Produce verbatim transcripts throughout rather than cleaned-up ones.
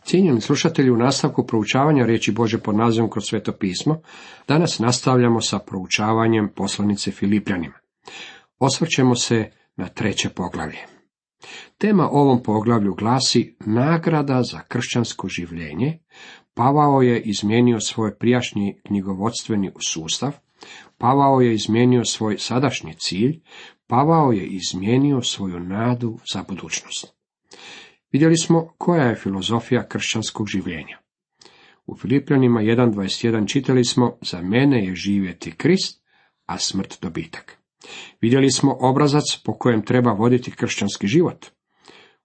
Cijenjeni slušatelji, u nastavku proučavanja riječi Božje pod nazivom Kroz sveto pismo, danas nastavljamo sa proučavanjem poslanice Filipljanima. Osvrćemo se na treće poglavlje. Tema ovom poglavlju glasi nagrada za kršćansko življenje. Pavao je izmijenio svoj prijašnji knjigovodstveni sustav, Pavao je izmijenio svoj sadašnji cilj, Pavao je izmijenio svoju nadu za budućnost. Vidjeli smo koja je filozofija kršćanskog življenja. U Filipljanima jedan dvadeset jedan čitali smo: za mene je živjeti Krist, a smrt dobitak. Vidjeli smo obrazac po kojem treba voditi kršćanski život.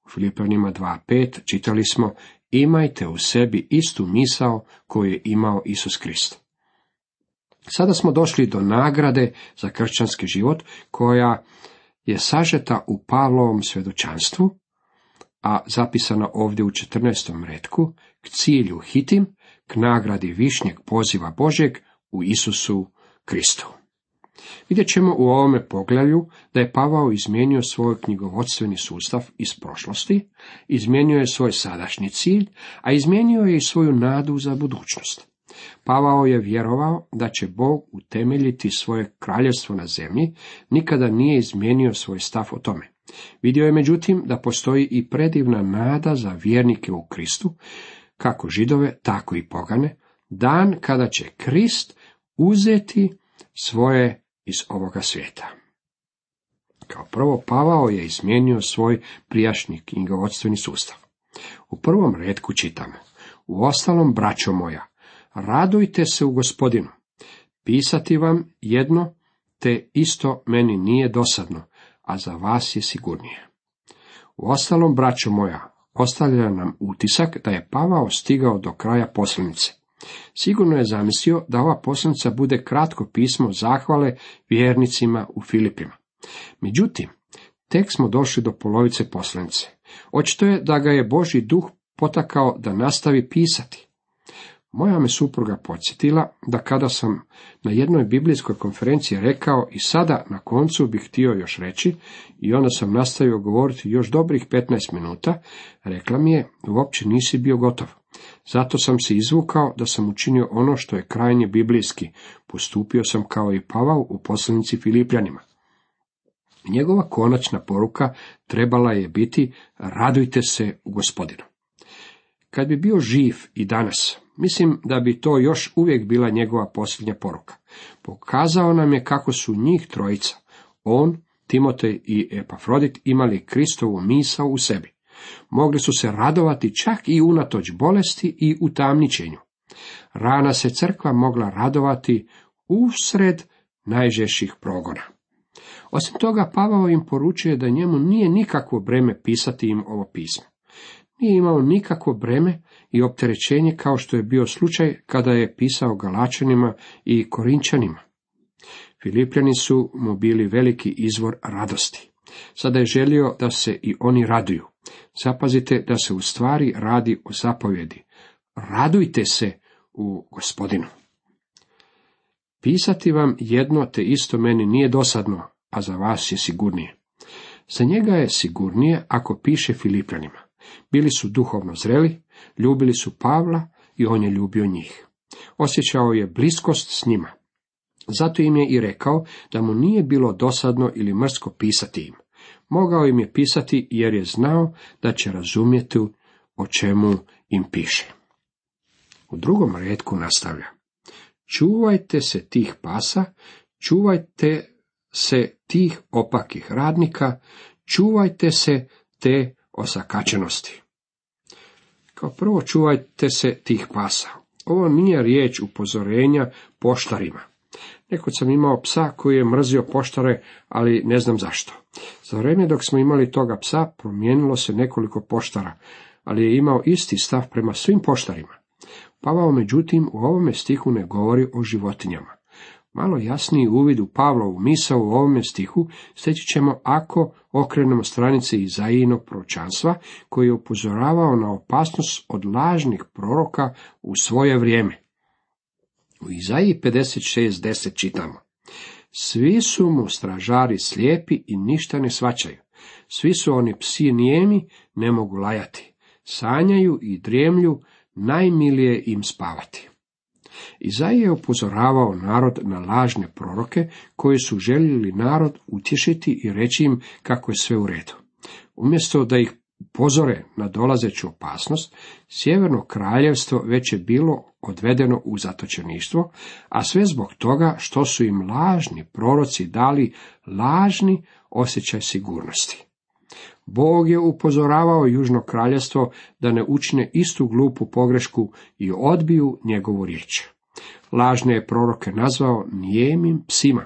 U Filipljanima dva pet čitali smo: imajte u sebi istu misao koju je imao Isus Krist. Sada smo došli do nagrade za kršćanski život, koja je sažeta u Pavlovom svjedočanstvu, a zapisana ovdje u četrnaestom retku: k cilju hitim, k nagradi višnjeg poziva Božjeg u Isusu Kristu. Vidjet ćemo u ovome poglavlju da je Pavao izmijenio svoj knjigovodstveni sustav iz prošlosti, izmijenio je svoj sadašnji cilj, a izmijenio je i svoju nadu za budućnost. Pavao je vjerovao da će Bog utemeljiti svoje kraljevstvo na zemlji, nikada nije izmijenio svoj stav o tome. Vidio je međutim da postoji i predivna nada za vjernike u Kristu, kako Židove, tako i pogane, dan kada će Krist uzeti svoje iz ovoga svijeta. Kao prvo, Pavao je izmijenio svoj prijašnji knjigovodstveni sustav. U prvom retku čitamo: uostalom, braćo moja, radujte se u Gospodinu. Pisati vam jedno, te isto meni nije dosadno, a za vas je sigurnije. Uostalom, braćo moja, ostavlja nam utisak da je Pavao stigao do kraja poslanice. Sigurno je zamislio da ova poslanica bude kratko pismo zahvale vjernicima u Filipima. Međutim, tek smo došli do polovice poslanice. Očito je da ga je Božji duh potakao da nastavi pisati. Moja me supruga podsjetila da kada sam na jednoj biblijskoj konferenciji rekao i sada na koncu bih htio još reći, i onda sam nastavio govoriti još dobrih petnaest minuta, rekla mi je: uopće nisi bio gotov. Zato sam se izvukao da sam učinio ono što je krajnje biblijski. Postupio sam kao i Pavao u poslanici Filipljanima. Njegova konačna poruka trebala je biti: radujte se u Gospodinu. Kad bi bio živ i danas, mislim da bi to još uvijek bila njegova posljednja poruka. Pokazao nam je kako su njih trojica, on, Timotej i Epafrodit, imali Kristovu misao u sebi. Mogli su se radovati čak i unatoč bolesti i utamničenju. Rana se crkva mogla radovati usred najžešćih progona. Osim toga, Pavao im poručuje da njemu nije nikakvo breme pisati im ovo pismo. Nije imao nikakvo breme i opterećenje kao što je bio slučaj kada je pisao Galačanima i Korinčanima. Filipljani su mu bili veliki izvor radosti. Sada je želio da se i oni raduju. Zapazite da se u stvari radi o zapovjedi: radujte se u Gospodinu. Pisati vam jedno, te isto meni nije dosadno, a za vas je sigurnije. Za njega je sigurnije ako piše Filipljanima. Bili su duhovno zreli, ljubili su Pavla i on je ljubio njih. Osjećao je bliskost s njima. Zato im je i rekao da mu nije bilo dosadno ili mrsko pisati im. Mogao im je pisati jer je znao da će razumjeti o čemu im piše. U drugom retku nastavlja: čuvajte se tih pasa, čuvajte se tih opakih radnika, čuvajte se te osakačenosti. Kao prvo, čuvajte se tih pasa. Ovo nije riječ upozorenja poštarima. Nekud sam imao psa koji je mrzio poštare, ali ne znam zašto. Za vrijeme dok smo imali toga psa, promijenilo se nekoliko poštara, ali je imao isti stav prema svim poštarima. Pavao, međutim, u ovome stihu ne govori o životinjama. Malo jasniji uvid u Pavlovu misao u ovome stihu steći ćemo ako okrenemo stranice Izaijinog proročanstva, koji je upozoravao na opasnost od lažnih proroka u svoje vrijeme. U Izaiji pedeset šest deset čitamo: svi su mu stražari slijepi i ništa ne shvaćaju. Svi su oni psi nijemi, ne mogu lajati. sanjaju i drijemlju, najmilije im spavati. Izaija je upozoravao narod na lažne proroke koji su željeli narod utješiti i reći im kako je sve u redu. Umjesto da ih upozore na dolazeću opasnost, Sjeverno kraljevstvo već je bilo odvedeno u zatočeništvo, a sve zbog toga što su im lažni proroci dali lažni osjećaj sigurnosti. Bog je upozoravao Južno kraljevstvo da ne učine istu glupu pogrešku i odbiju njegovu riječ. Lažne je proroke nazvao nijemim psima.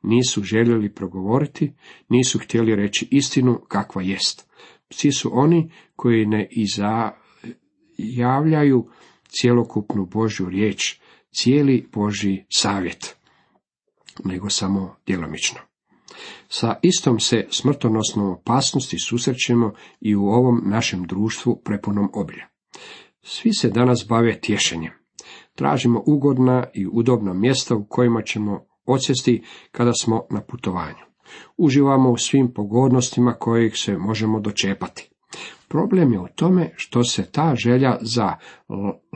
Nisu željeli progovoriti, nisu htjeli reći istinu kakva jest. Psi su oni koji ne izjavljaju cjelokupnu Božju riječ, cijeli Božji savjet, nego samo djelomično. Sa istom se smrtonosnom opasnosti susrećemo i u ovom našem društvu prepunom obilja. Svi se danas bave tješenjem. Tražimo ugodna i udobna mjesta u kojima ćemo odsjesti kada smo na putovanju. Uživamo u svim pogodnostima kojih se možemo dočepati. Problem je u tome što se ta želja za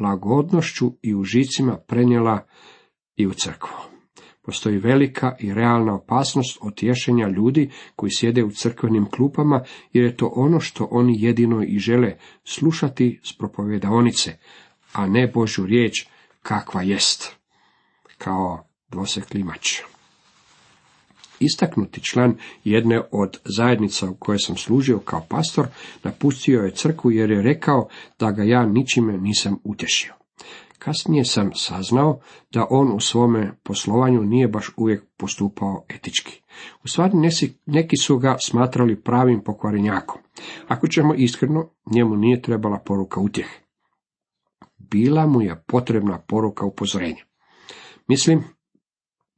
lagodnošću i užicima prenijela i u crkvu. Postoji velika i realna opasnost od tješenja ljudi koji sjede u crkvenim klupama, jer je to ono što oni jedino i žele slušati s propovedaonice, a ne Božju riječ kakva jest, kao dvosekli mač. Istaknuti član jedne od zajednica u kojoj sam služio kao pastor napustio je crkvu jer je rekao da ga ja ničime nisam utješio. Kasnije sam saznao da on u svome poslovanju nije baš uvijek postupao etički. U stvari neki su ga smatrali pravim pokvarenjakom. Ako ćemo iskreno, njemu nije trebala poruka utjehe. Bila mu je potrebna poruka upozorenja. Mislim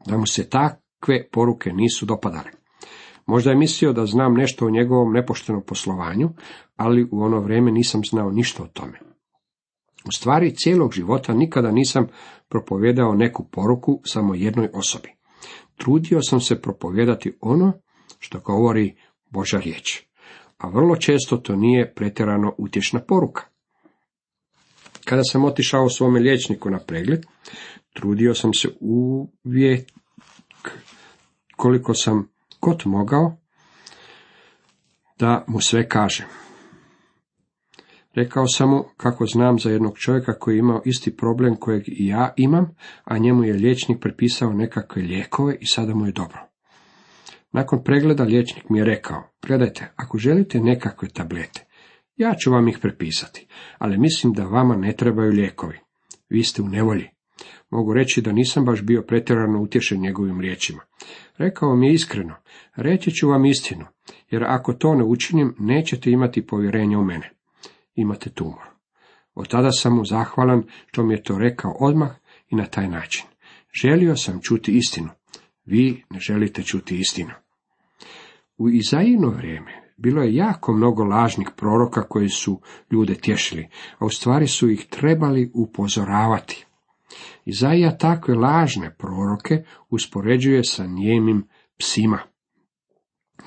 da mu se takve poruke nisu dopadale. Možda je mislio da znam nešto o njegovom nepoštenom poslovanju, ali u ono vrijeme nisam znao ništa o tome. U stvari, cijelog života nikada nisam propovijedao neku poruku samo jednoj osobi. Trudio sam se propovijedati ono što govori Božja riječ, a vrlo često to nije pretjerano utješna poruka. Kada sam otišao svome liječniku na pregled, trudio sam se uvijek koliko sam god mogao da mu sve kažem. Rekao sam mu kako znam za jednog čovjeka koji je imao isti problem kojeg i ja imam, a njemu je liječnik prepisao nekakve lijekove i sada mu je dobro. Nakon pregleda liječnik mi je rekao, gledajte, ako želite nekakve tablete, ja ću vam ih prepisati, ali mislim da vama ne trebaju lijekovi. Vi ste u nevolji. Mogu reći da nisam baš bio pretjerano utješen njegovim riječima. Rekao mi je iskreno, reći ću vam istinu, jer ako to ne učinim, nećete imati povjerenja u mene. Imate tumor. Od tada sam mu zahvalan što mi je to rekao odmah i na taj način. Želio sam čuti istinu. Vi ne želite čuti istinu. U Izaijino vrijeme bilo je jako mnogo lažnih proroka koji su ljude tješili, a u stvari su ih trebali upozoravati. Izaija takve lažne proroke uspoređuje sa nijemim psima.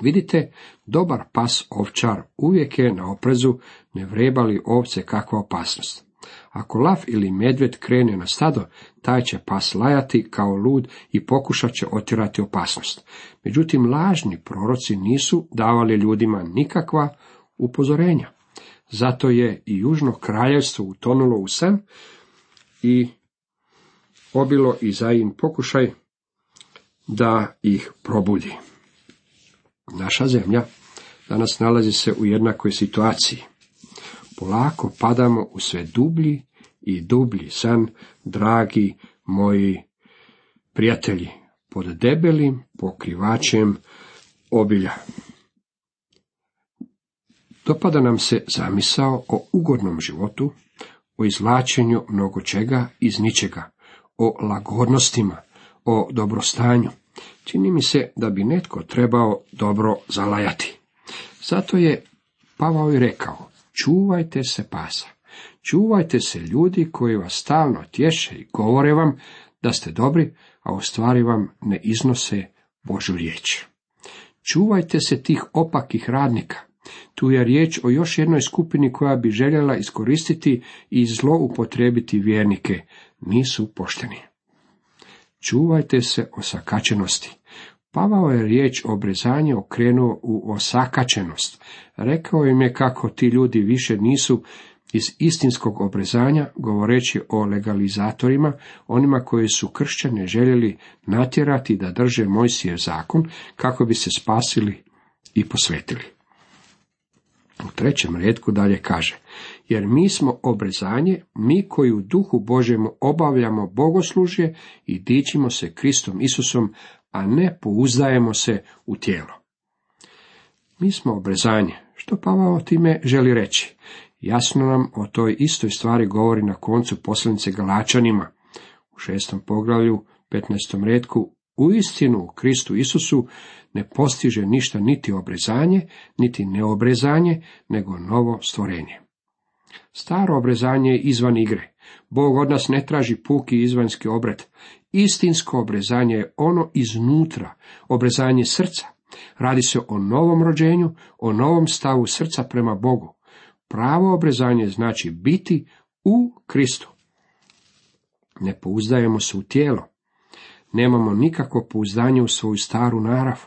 Vidite, dobar pas ovčar uvijek je na oprezu, ne vreba li ovce kakva opasnost. Ako lav ili medvjed krene na stado, taj će pas lajati kao lud i pokušat će otjerati opasnost. Međutim, lažni proroci nisu davali ljudima nikakva upozorenja. Zato je i Južno kraljevstvo utonulo u san i obilo Izajin pokušaj da ih probudi. Naša zemlja danas nalazi se u jednakoj situaciji. Polako padamo u sve dublji i dublji san, dragi moji prijatelji, pod debelim pokrivačem obilja. Dopada nam se zamisao o ugodnom životu, o izvlačenju mnogo čega iz ničega, o lagodnostima, o dobrostanju. Čini mi se da bi netko trebao dobro zalajati. Zato je Pavao i rekao, čuvajte se pasa, čuvajte se ljudi koji vas stalno tješe i govore vam da ste dobri, a u stvari vam ne iznose Božju riječ. Čuvajte se tih opakih radnika. Tu je riječ o još jednoj skupini koja bi željela iskoristiti i zloupotrijebiti vjernike. Nisu pošteni. Čuvajte se osakačenosti. Pavao je riječ obrezanje okrenuo u osakačenost. Rekao im je kako ti ljudi više nisu iz istinskog obrezanja, govoreći o legalizatorima, onima koji su kršćane željeli natjerati da drže Mojsijev zakon kako bi se spasili i posvetili. U trećem retku dalje kaže, jer mi smo obrezanje, mi koji u duhu Božjemu obavljamo bogoslužje i dičimo se Kristom Isusom, a ne pouzdajemo se u tijelo. Mi smo obrezanje. Što Pavao time želi reći? Jasno nam o toj istoj stvari govori na koncu poslanice Galačanima. U šestom poglavlju, petnaestom retku, u istinu u Kristu Isusu ne postiže ništa niti obrezanje, niti neobrezanje, nego novo stvorenje. Staro obrezanje je izvan igre. Bog od nas ne traži puki izvanjski obred. Istinsko obrezanje je ono iznutra, obrezanje srca. Radi se o novom rođenju, o novom stavu srca prema Bogu. Pravo obrezanje znači biti u Kristu. Ne pouzdajemo se u tijelo. Nemamo nikakvo pouzdanje u svoju staru narav.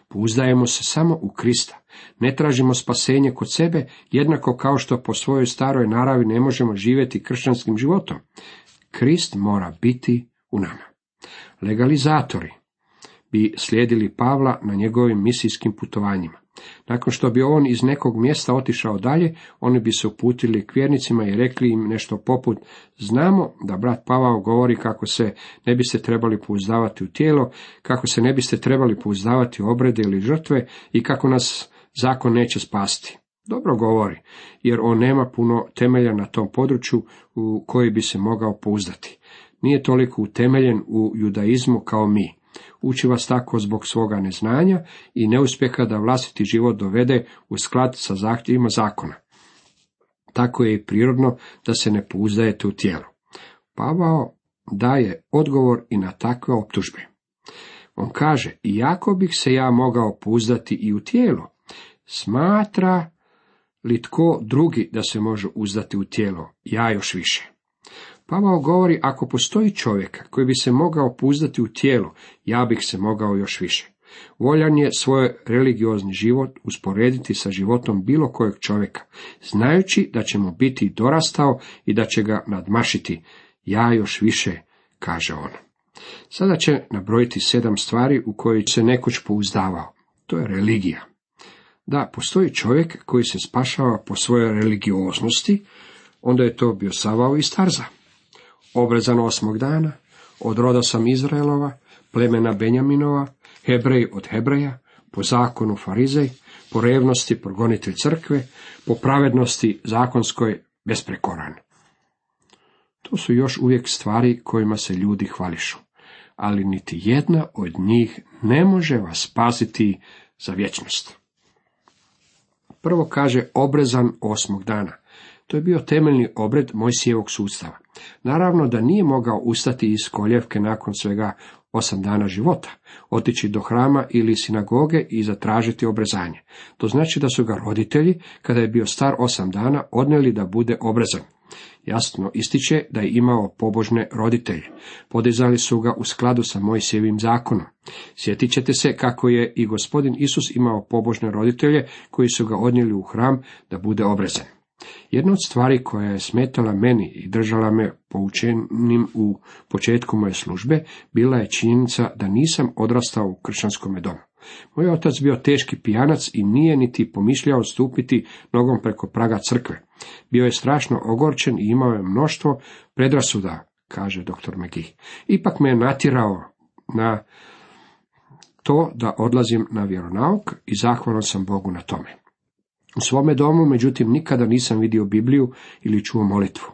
Pouzdajemo se samo u Krista. Ne tražimo spasenje kod sebe, jednako kao što po svojoj staroj naravi ne možemo živjeti kršćanskim životom. Krist mora biti u nama. Legalizatori bi slijedili Pavla na njegovim misijskim putovanjima. Nakon što bi on iz nekog mjesta otišao dalje, oni bi se uputili k vjernicima i rekli im nešto poput: znamo da brat Pavao govori kako se ne biste trebali pouzdavati u tijelo, kako se ne biste trebali pouzdavati u obrede ili žrtve i kako nas zakon neće spasti. Dobro govori, jer on nema puno temelja na tom području u koji bi se mogao pouzdati. Nije toliko utemeljen u judaizmu kao mi. Uči vas tako zbog svoga neznanja i neuspjeha da vlastiti život dovede u sklad sa zahtjevima zakona. Tako je i prirodno da se ne pouzdajete u tijelo. Pavao daje odgovor i na takve optužbe. On kaže, iako bih se ja mogao pouzdati i u tijelo, smatra li tko drugi da se može uzdati u tijelo, ja još više. Pavao govori, ako postoji čovjek koji bi se mogao pouzdati u tijelo, ja bih se mogao još više. Voljan je svoj religiozni život usporediti sa životom bilo kojeg čovjeka, znajući da će mu biti dorastao i da će ga nadmašiti. Ja još više, kaže on. Sada će nabrojiti sedam stvari u koje se nekoć pouzdavao. To je religija. Da, postoji čovjek koji se spašava po svojoj religioznosti, onda je to bio Savao iz Tarza. Obrezan osmog dana, od roda sam Izraelova, plemena Benjaminova, Hebrej od Hebreja, po zakonu Farizej, po revnosti progonitelj crkve, po pravednosti zakonskoj besprekoran. To su još uvijek stvari kojima se ljudi hvališu, ali niti jedna od njih ne može vas spasiti za vječnost. Prvo kaže obrezan osmog dana. To je bio temeljni obred Mojsijevog sustava. Naravno da nije mogao ustati iz koljevke nakon svega osam dana života, otići do hrama ili sinagoge i zatražiti obrezanje. To znači da su ga roditelji, kada je bio star osam dana, odnijeli da bude obrezan. Jasno ističe da je imao pobožne roditelje. Podizali su ga u skladu sa Mojsijevim zakonom. Sjetit ćete se kako je i gospodin Isus imao pobožne roditelje koji su ga odnijeli u hram da bude obrezan. Jedna od stvari koja je smetala meni i držala me poučenim u početku moje službe, bila je činjenica da nisam odrastao u kršćanskom domu. Moj otac bio teški pijanac i nije niti pomišljao stupiti nogom preko praga crkve. Bio je strašno ogorčen i imao je mnoštvo predrasuda, kaže doktor McGee. Ipak me je natjerao na to da odlazim na vjeronauk i zahvalan sam Bogu na tome. U svome domu, međutim, nikada nisam vidio Bibliju ili čuo molitvu.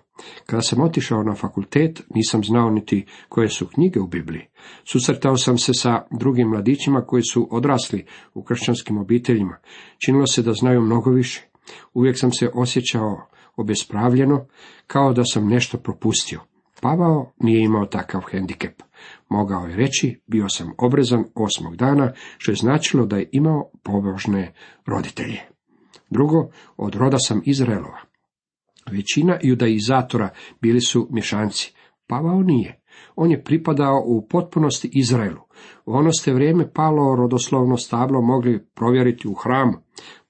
Kada sam otišao na fakultet, nisam znao niti koje su knjige u Bibliji. Susretao sam se sa drugim mladićima koji su odrasli u kršćanskim obiteljima. Činilo se da znaju mnogo više. Uvijek sam se osjećao obespravljeno, kao da sam nešto propustio. Pavao nije imao takav hendikep. Mogao je reći, bio sam obrezan osmog dana, što je značilo da je imao pobožne roditelje. Drugo, od roda sam Izraelova. Većina judaizatora bili su mješanci. Pavao nije. On je pripadao u potpunosti Izraelu. U ono ste vrijeme Pavlovo rodoslovno stablo mogli provjeriti u hramu.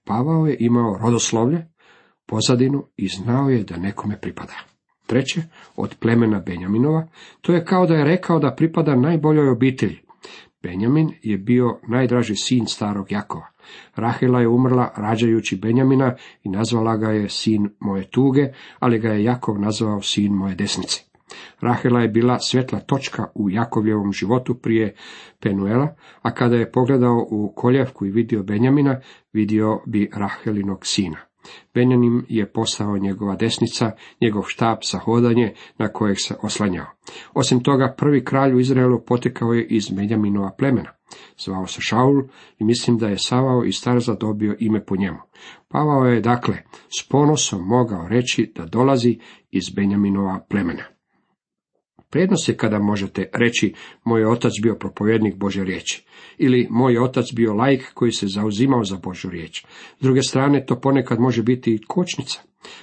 Pavao je imao rodoslovlje, pozadinu i znao je da nekome pripada. Treće, od plemena Benjaminova, to je kao da je rekao da pripada najboljoj obitelji. Benjamin je bio najdraži sin starog Jakova. Rahela je umrla rađajući Benjamina i nazvala ga je sin moje tuge, ali ga je Jakov nazvao sin moje desnice. Rahela je bila svjetla točka u Jakovljevom životu prije Penuela, a kada je pogledao u koljevku i vidio Benjamina, vidio bi Rahelinog sina. Benjamin je postao njegova desnica, njegov štab za hodanje na kojeg se oslanjao. Osim toga, prvi kralj u Izraelu potekao je iz Benjaminova plemena. Zvao se Šaul i mislim da je Savao iz Tarza dobio ime po njemu. Pavao je, dakle, s ponosom mogao reći da dolazi iz Benjaminova plemena. Prednost je kada možete reći moj otac bio propovjednik Božje riječi ili moj otac bio laik koji se zauzimao za Božju riječ. S druge strane, to ponekad može biti i kočnica.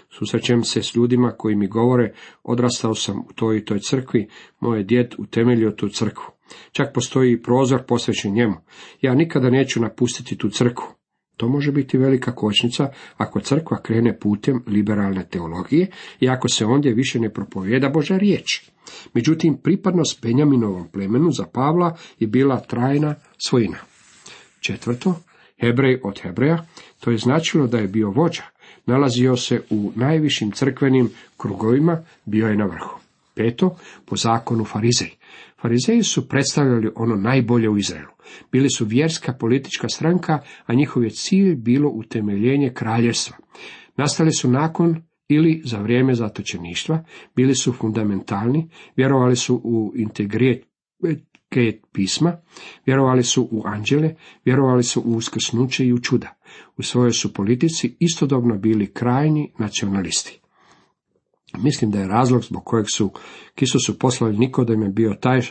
Susrećem se s ljudima koji mi govore, odrastao sam u toj i toj crkvi, moj je djed utemeljio tu crkvu. Čak postoji i prozor posvećen njemu. Ja nikada neću napustiti tu crkvu. To može biti velika kočnica ako crkva krene putem liberalne teologije i ako se ondje više ne propovijeda Božja riječ. Međutim, pripadnost Benjaminovom plemenu za Pavla je bila trajna svojina. Četvrto, Hebrej od Hebreja, to je značilo da je bio vođa, nalazio se u najvišim crkvenim krugovima, bio je na vrhu. Peto, po zakonu Farizej. Farizeji su predstavljali ono najbolje u Izraelu. Bili su vjerska politička stranka, a njihov je cilj bilo utemeljenje kraljevstva. Nastali su nakon ili za vrijeme zatočeništva, bili su fundamentalni, vjerovali su u integritet pisma, vjerovali su u anđele, vjerovali su u uskrsnuće i u čuda. U svojoj su politici istodobno bili krajnji nacionalisti. Mislim da je razlog zbog kojeg su k Isusu poslali Nikodem je bio taj,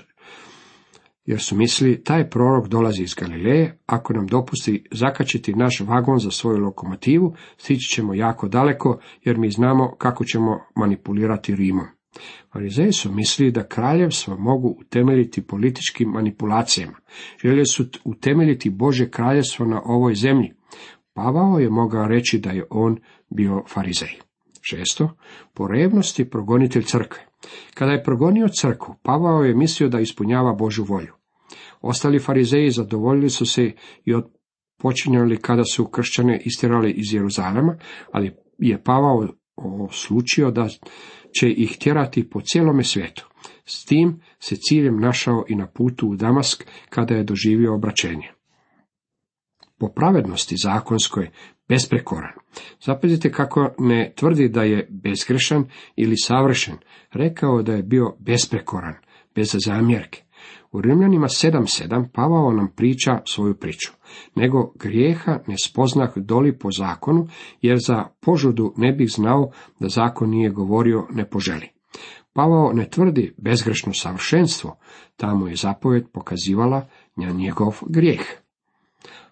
jer su mislili, taj prorok dolazi iz Galileje, ako nam dopusti zakačiti naš vagon za svoju lokomotivu, stići ćemo jako daleko, jer mi znamo kako ćemo manipulirati Rimom. Farizeji su mislili da kraljevstvo mogu utemeljiti političkim manipulacijama. Željeli su utemeljiti Božje kraljevstvo na ovoj zemlji. Pavao je mogao reći da je on bio farizej. Šesto, po revnosti progonitelj crkve. Kada je progonio crkvu, Pavao je mislio da ispunjava Božju volju. Ostali farizeji zadovoljili su se i odpočinjali kada su kršćane istjerali iz Jeruzalema, ali je Pavao oslučio da će ih tjerati po cijelome svijetu. S tim se ciljem našao i na putu u Damask kada je doživio obraćenje. Po pravednosti zakonskoj besprekoran. Zapazite kako ne tvrdi da je bezgrešan ili savršen, rekao da je bio besprekoran, bez zamjerke. U Rimljanima sedam sedam Pavao nam priča svoju priču, nego grijeha ne spoznah doli po zakonu, jer za požudu ne bih znao da zakon nije govorio ne poželi. Pavao ne tvrdi bezgrešno savršenstvo, tamo je zapovjed pokazivala na njegov grijeh.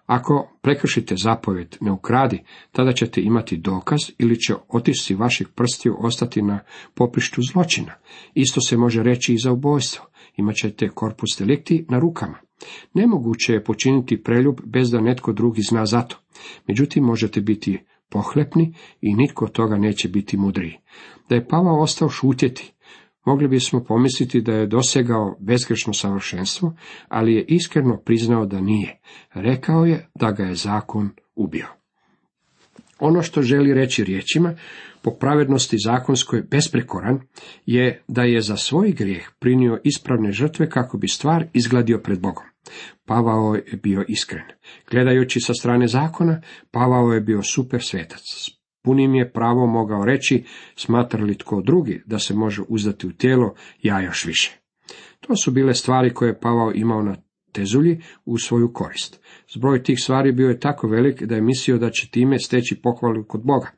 Ako prekršite zapovjed ne ukradi, tada ćete imati dokaz ili će otisci vaših prstiju ostati na popištu zločina. Isto se može reći i za ubojstvo. Imat ćete corpus delicti na rukama. Nemoguće je počiniti preljub bez da netko drugi zna za to. Međutim, možete biti pohlepni i nitko od toga neće biti mudriji. Da je Pavao ostao šutjeti, mogli bismo pomisliti da je dosegao bezgrešno savršenstvo, ali je iskreno priznao da nije. Rekao je da ga je zakon ubio. Ono što želi reći riječima, po pravednosti zakonskoj besprekoran, je da je za svoj grijeh prinio ispravne žrtve kako bi stvar izgladio pred Bogom. Pavao je bio iskren. Gledajući sa strane zakona, Pavao je bio super svetac. Punim je pravo mogao reći, smatra li tko drugi da se može uzdati u tijelo, ja još više. To su bile stvari koje je Pavao imao na tezulji u svoju korist. Zbroj tih stvari bio je tako velik da je mislio da će time steći pohvalu kod Boga.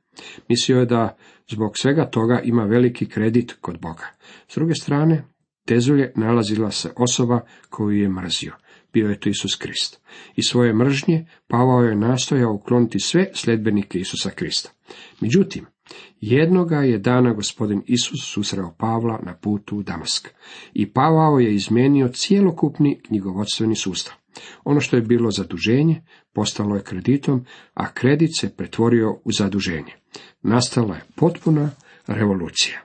Mislio je da zbog svega toga ima veliki kredit kod Boga. S druge strane, tezulje nalazila se osoba koju je mrzio. bio je to Isus Krist. I svoje mržnje Pavao je nastojao ukloniti sve sljedbenike Isusa Krista. Međutim, jednoga je dana gospodin Isus susreo Pavla na putu u Damask. I Pavao je izmijenio cjelokupni knjigovodstveni sustav. Ono što je bilo zaduženje, postalo je kreditom, a kredit se pretvorio u zaduženje. Nastala je potpuna revolucija.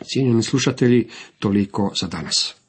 Cijenjeni slušatelji, toliko za danas.